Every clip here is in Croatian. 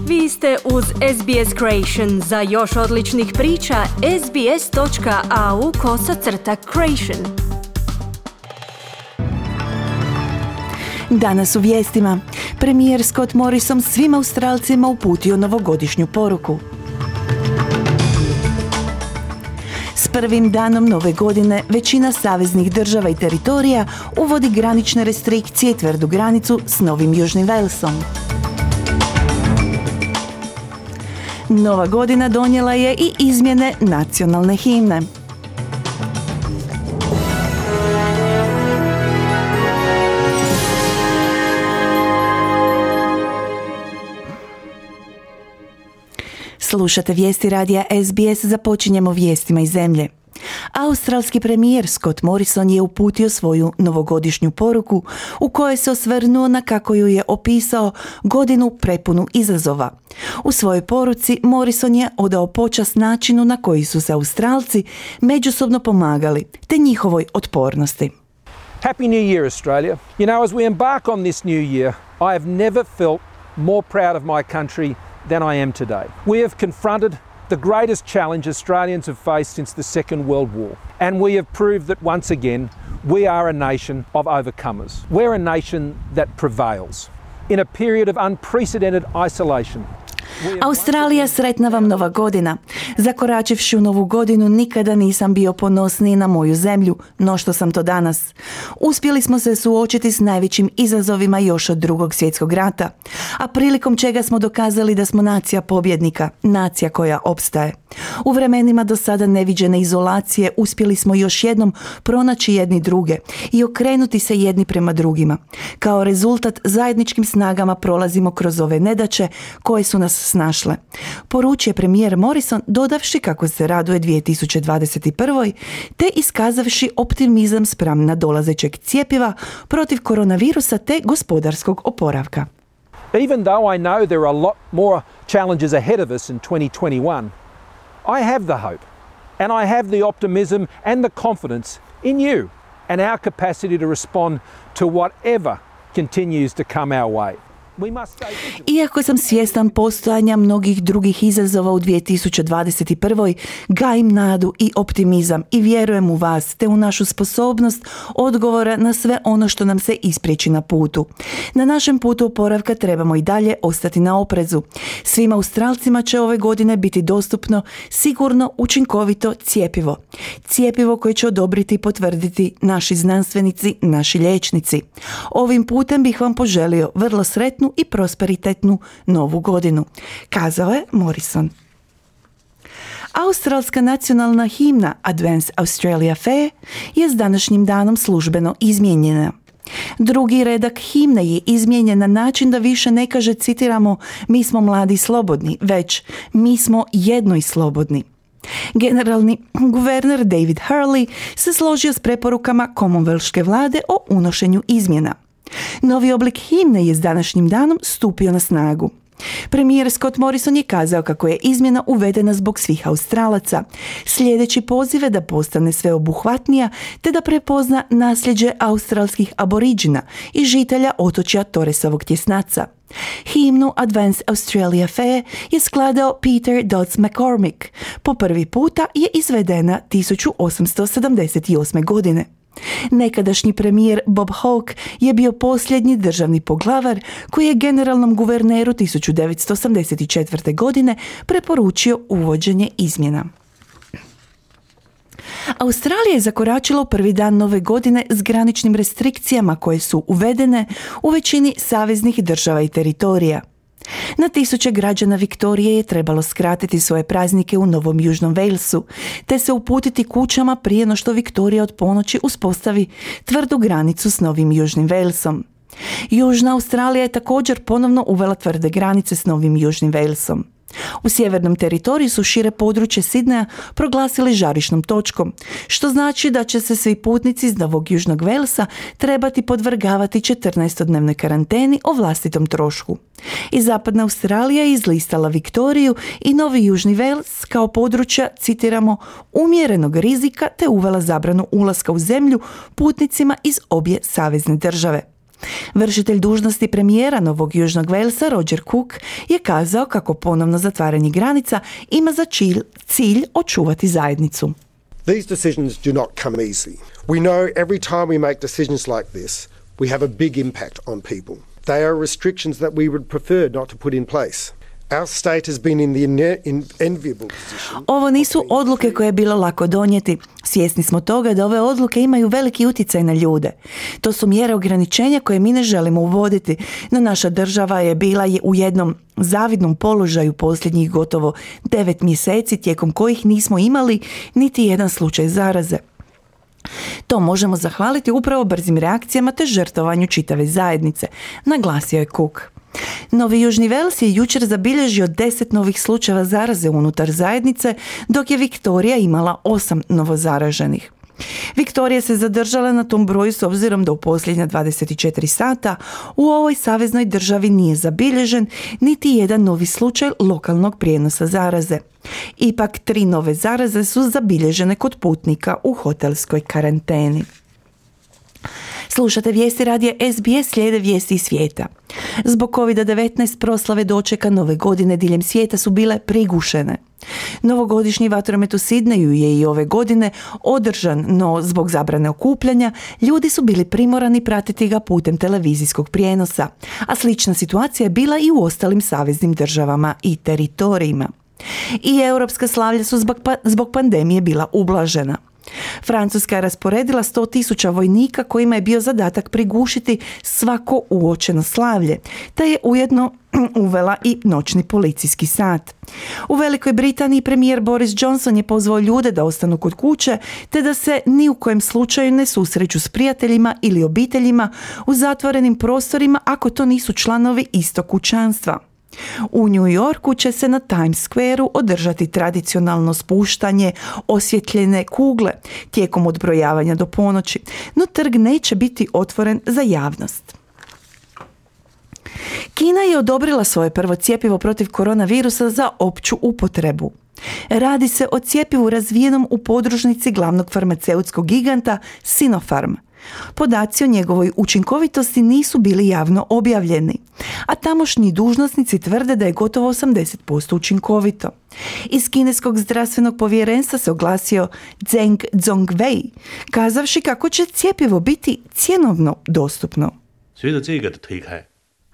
Vi ste uz SBS Creation. Za još odličnih priča, sbs.au/creation. Danas u vijestima. Premijer Scott Morrison svim Australcima uputio novogodišnju poruku. S prvim danom nove godine većina saveznih država i teritorija uvodi granične restrikcije i tvrdu granicu s Novim Južnim Walesom. Nova godina donijela je i izmjene nacionalne himne. Slušate vijesti radija SBS, započinjemo vijestima iz zemlje. Australski premijer Scott Morrison je uputio svoju novogodišnju poruku u kojoj se osvrnuo na, kako ju je opisao, godinu prepunu izazova. U svojoj poruci Morrison je odao počast načinu na koji su se Australci međusobno pomagali te njihovoj otpornosti. Happy New Year, Australia. You know, as we embark on this new year, I have never felt more proud of my country than I am today. We have confronted the greatest challenge Australians have faced since the Second World War, and we have proved that once again we are a nation of overcomers. We're a nation that prevails. In a period of unprecedented isolation, Australija, sretna vam nova godina. Zakoračivši u novu godinu nikada nisam bio ponosniji na moju zemlju no što sam to danas. Uspjeli smo se suočiti s najvećim izazovima još od Drugog svjetskog rata, a prilikom čega smo dokazali da smo nacija pobjednika, nacija koja opstaje. U vremenima do sada neviđene izolacije uspjeli smo još jednom pronaći jedni druge i okrenuti se jedni prema drugima. Kao rezultat zajedničkim snagama prolazimo kroz ove nedaće koje su nas snašle. Poručuje premijer Morrison, dodavši kako se raduje 2021. te iskazavši optimizam spram nadolazećeg cjepiva protiv koronavirusa te gospodarskog oporavka. even though I know there are a lot more challenges ahead of us in 2021, I have the hope and I have the optimism and the confidence in you and our capacity to respond to whatever continues to come our way. Iako sam svjestan postojanja mnogih drugih izazova u 2021. gajim nadu i optimizam i vjerujem u vas te u našu sposobnost odgovora na sve ono što nam se ispriječi na putu. Na našem putu oporavka trebamo i dalje ostati na oprezu. Svim Australcima će ove godine biti dostupno sigurno, učinkovito cjepivo. Cjepivo koje će odobriti i potvrditi naši znanstvenici, naši liječnici. Ovim putem bih vam poželio vrlo sretnu i prosperitetnu novu godinu, kazao je Morrison. Australska nacionalna himna Advance Australia Fair je s današnjim danom službeno izmijenjena. Drugi redak himne je izmijenjen na način da više ne kaže, citiramo, mi smo mladi i slobodni, već mi smo jedno i slobodni. Generalni guverner David Hurley se složio s preporukama Commonwealthske vlade o unošenju izmjena. Novi oblik himne je s današnjim danom stupio na snagu. Premijer Scott Morrison je kazao kako je izmjena uvedena zbog svih Australaca, slijedeći pozive da postane sveobuhvatnija te da prepozna nasljeđe australskih aboriđina i žitelja otočja Torresovog tjesnaca. Himnu Advance Australia Fair je skladao Peter Dodds McCormick. Po prvi puta je izvedena 1878. godine. Nekadašnji premijer Bob Hawke je bio posljednji državni poglavar koji je generalnom guverneru 1984. godine preporučio uvođenje izmjena. Australija je zakoračila u prvi dan nove godine s graničnim restrikcijama koje su uvedene u većini saveznih država i teritorija. Na tisuće građana Viktorije je trebalo skratiti svoje praznike u Novom Južnom Walesu, te se uputiti kućama prije no što Viktorija od ponoći uspostavi tvrdu granicu s Novim Južnim Walesom. Južna Australija je također ponovno uvela tvrde granice s Novim Južnim Walesom. U sjevernom teritoriju su šire područje Sidneja proglasili žarišnom točkom, što znači da će se svi putnici iz Novog Južnog Walesa trebati podvrgavati 14-dnevnoj karanteni o vlastitom trošku. I zapadna Australija je izlistala Viktoriju i Novi Južni Wales kao područja, citiramo, umjerenog rizika te uvela zabranu ulaska u zemlju putnicima iz obje savezne države. Vršitelj dužnosti premijera Novog Južnog Walesa Roger Cook je kazao kako ponovno zatvaranje granica ima za cilj očuvati zajednicu. These decisions do not come easy. We know every time we make decisions like this, we have a big impact on people. They are restrictions that we would prefer not to put in place. Our state has been in the enviable position. Ovo nisu odluke koje je bilo lako donijeti. Svjesni smo toga da ove odluke imaju veliki utjecaj na ljude. To su mjere ograničenja koje mi ne želimo uvoditi, no naša država je bila u jednom zavidnom položaju posljednjih gotovo 9 mjeseci tijekom kojih nismo imali niti jedan slučaj zaraze. To možemo zahvaliti upravo brzim reakcijama te žrtvovanju čitave zajednice, naglasio je Cook. Novi Južni Wales je jučer zabilježio 10 novih slučajeva zaraze unutar zajednice, dok je Viktorija imala 8 novozaraženih. Viktorija se zadržala na tom broju s obzirom da u posljednja 24 sata u ovoj saveznoj državi nije zabilježen niti jedan novi slučaj lokalnog prijenosa zaraze. Ipak 3 nove zaraze su zabilježene kod putnika u hotelskoj karanteni. Slušate vijesti radija SBS, slijede vijesti iz svijeta. Zbog COVID-19 proslave dočeka nove godine diljem svijeta su bile prigušene. Novogodišnji vatromet u Sidneju je i ove godine održan, no zbog zabrane okupljanja ljudi su bili primorani pratiti ga putem televizijskog prijenosa, a slična situacija je bila i u ostalim saveznim državama i teritorijima. I europska slavlja su zbog pandemije bila ublažena. Francuska je rasporedila 100.000 vojnika kojima je bio zadatak prigušiti svako uočeno slavlje, te je ujedno uvela i noćni policijski sat. U Velikoj Britaniji premijer Boris Johnson je pozvao ljude da ostanu kod kuće, te da se ni u kojem slučaju ne susreću s prijateljima ili obiteljima u zatvorenim prostorima ako to nisu članovi istog kućanstva. U New Yorku će se na Times Squareu održati tradicionalno spuštanje osvjetljene kugle tijekom odbrojavanja do ponoći, no trg neće biti otvoren za javnost. Kina je odobrila svoje prvo cjepivo protiv koronavirusa za opću upotrebu. Radi se o cjepivu razvijenom u podružnici glavnog farmaceutskog giganta Sinopharm. Podaci o njegovoj učinkovitosti nisu bili javno objavljeni, a tamošnji dužnosnici tvrde da je gotovo 80% učinkovito. Iz kineskog zdravstvenog povjerenstva se oglasio Zheng Zhongwei, kazavši kako će cjepivo biti cjenovno dostupno.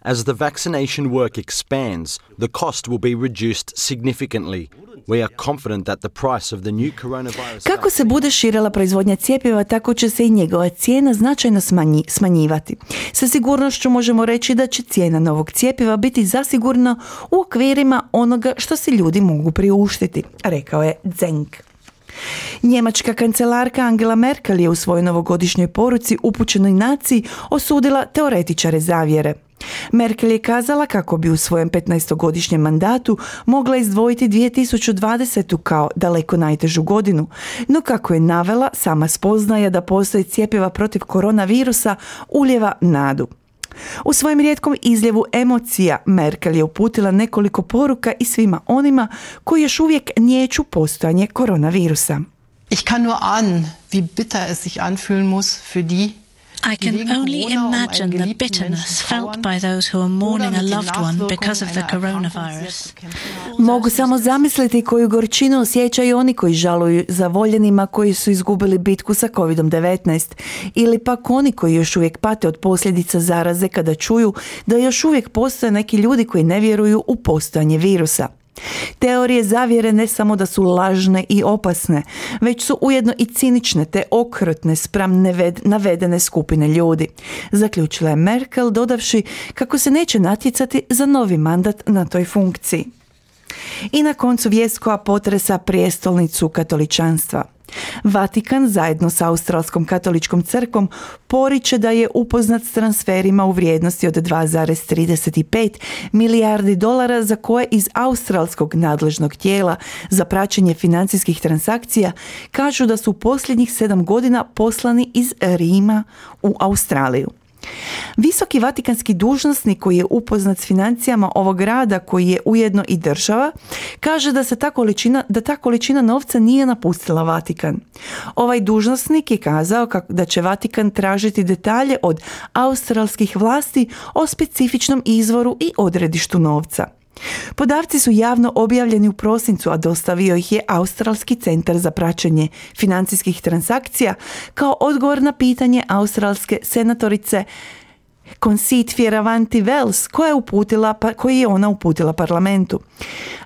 As the vaccination work expands, the cost will be reduced significantly. We are confident that the price of the new coronavirus... Kako se bude širila proizvodnja cjepiva, tako će se i njegova cijena značajno smanjivati. Sa sigurnošću možemo reći da će cijena novog cjepiva biti zasigurno u okvirima onoga što si ljudi mogu priuštiti, rekao je Zheng. Njemačka kancelarka Angela Merkel je u svojoj novogodišnjoj poruci upućenoj naciji osudila teoretičare zavjere. Merkel je kazala kako bi u svojem 15-godišnjem mandatu mogla izdvojiti 2020. kao daleko najtežu godinu, no kako je navela, sama spoznaja da postoji cjepiva protiv koronavirusa ulijeva nadu. U svojem rijetkom izljevu emocija Merkel je uputila nekoliko poruka i svima onima koji još uvijek niječu postojanje koronavirusa. Ich kann nur ahnen, wie bitter es sich anfühlen muss für die I can only imagine the bitterness felt by those who are mourning a loved one because of the coronavirus. Mogu samo zamisliti koju gorčinu osjećaju oni koji žaluju za voljenima koji su izgubili bitku sa COVID-19 ili pak oni koji još uvijek pate od posljedica zaraze kada čuju da još uvijek postoje neki ljudi koji ne vjeruju u postojanje virusa. Teorije zavjere ne samo da su lažne i opasne, već su ujedno i cinične te okrutne spram navedene skupine ljudi, zaključila je Merkel dodavši kako se neće natjecati za novi mandat na toj funkciji. I na koncu vijest koja potresa prijestolnicu katoličanstva. Vatikan zajedno sa Australskom katoličkom crkvom poriče da je upoznat s transferima u vrijednosti od 2,35 milijardi dolara za koje iz australskog nadležnog tijela za praćenje financijskih transakcija kažu da su posljednjih 7 godina poslani iz Rima u Australiju. Visoki vatikanski dužnosnik koji je upoznat s financijama ovog grada, koji je ujedno i država, kaže da ta količina novca nije napustila Vatikan. Ovaj dužnosnik je kazao da će Vatikan tražiti detalje od australskih vlasti o specifičnom izvoru i odredištu novca. Podaci su javno objavljeni u prosincu, a dostavio ih je Australski centar za praćenje financijskih transakcija kao odgovor na pitanje australske senatorice Conceit Fierravanti-Wells koji je ona uputila parlamentu.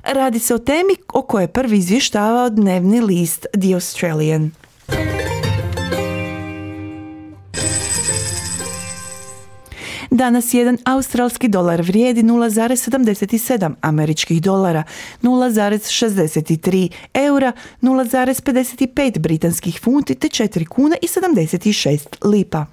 Radi se o temi o kojoj je prvi izvještavao dnevni list The Australian. Danas jedan australski dolar vrijedi 0,77 američkih dolara, 0,63 eura, 0,55 britanskih funti te 4 kuna i 76 lipa.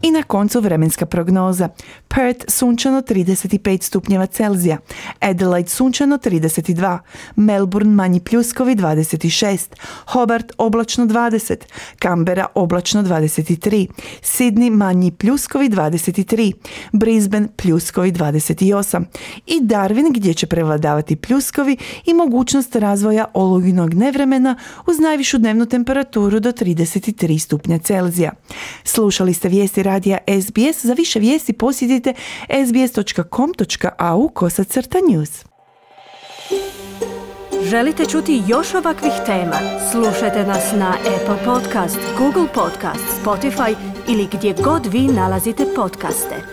I na koncu vremenska prognoza. Perth sunčano 35 stupnjeva Celzija, Adelaide sunčano 32, Melbourne manji pljuskovi 26, Hobart oblačno 20, Canberra oblačno 23, Sydney manji pljuskovi 23, Brisbane pljuskovi 28 i Darwin gdje će prevladavati pljuskovi i mogućnost razvoja olujnog nevremena uz najvišu dnevnu temperaturu do 33 stupnja Celzija. Slušali ste vijesti radija SBS. Za više vijesti posjetite sbs.com.au/news. Želite čuti još ovakvih tema? Slušajte nas na Apple Podcast, Google Podcast, Spotify ili gdje god vi nalazite podcaste.